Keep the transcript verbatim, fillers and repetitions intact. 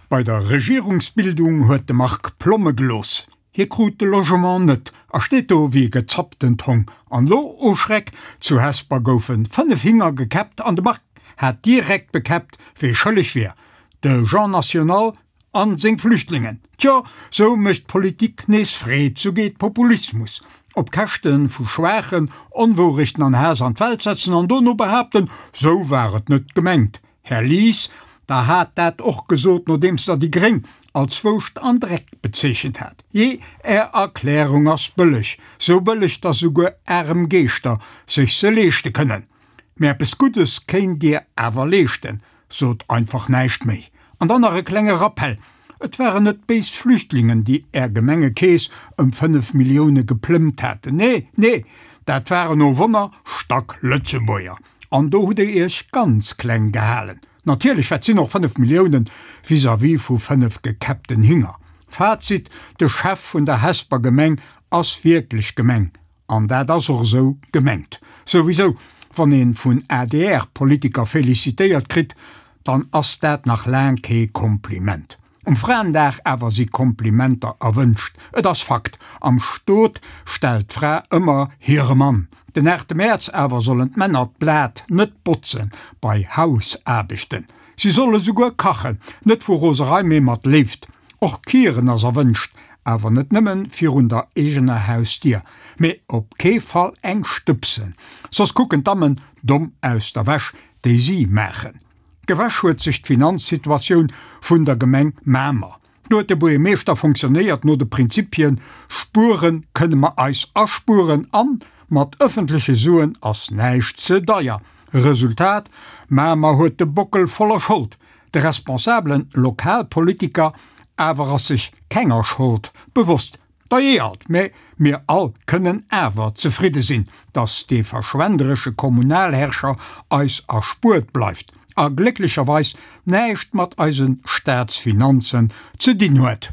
Bei der Regierungsbildung huet de Marc Plomme gelooss. Hie krut de Logement net a steet do wéi e gezapptent Hong. An lo, o Schreck, zu Hesper goufe fënnef Hinger gekäppt an de Marc hat direkt bekäppt, wee schëlleg wier, de Jean National an seng Flüchtlingen. Tjo, sou mécht Politik nees Freed, sou geet Populismus. Op Käschte vu Schwaachen Onwourechten an Haass an d'Welt setzen an dono behaapten, sou war et net gemengt. Här Lies, Der hat dat och gesot, nodeems Der déi Gréng als Wouscht an Dreck bezeechent hat. Jee, Är Erklärung ass bëlleg, sou bëlleg, dass souguer arem Geeschter sech se leeschte kënnen. Mee eppes Guddes kéint Dir awer leeschten, sot einfach näischt méi. An dann nach e klenge Rappell, Et waren net béis Flüchtlingen, déi Är Gemengekeess ëm fënnef Millioune geplëmmt haten. Nee, nee, dat waren, oh Wonner, Stack-Lëtzebuerger. An do hutt Der Iech ganz kleng gehalen. Natierlech, wat sinn och fënnef Milliounen vis-à-vis vu fënnef gekäppten Hinger? Fazit, De Chef vun der Hesper Gemeng ass wierklech gemeng. An dat ass och esou gemengt. Souwisou, wann ee vun A D R Politiker felicitéiert kritt, dann ass dat nach laang kee Kompliment. Um Fraendag awer si Komplimenter erwënscht. Et ass Fakt, am Stot stellt d'Fra ëmmer hire Mann. Den aachte Mäerz awer sollen d'Männer d'Blat net botzen bei Hausaarbechten. Si solle souguer kachen, net vu Roserei, mee mat Léift. Och kieren ass erwënscht, awer net nëmmen virun der eegener Hausdier. Mee op kee Fall eng stëbsen, soss kucken d'Dammen domm aus der Wäsch, déi si maachen. Gewäsch huet sech d'Finanzsituatioun vun der Gemeng Mamer. Do huet de Buergermeeschter fonctionnéiert no de Prinzipien, Spuere kënne mer eis aspueren an mat ëffentleche Suen ass näischt ze deier. Resultat, Mamer huet de Bockel voller Schold. De responsabelen Lokalpolitiker awer ass sech kenger Schold bewosst. Dajee alt, mä mir all kënnen awer zefridde sinn, dass dee verschwenderesche Kommunalherrscher eis erspuert bleift a glécklecherweis näischt mat eise Staatsfinanzen ze dinn huet.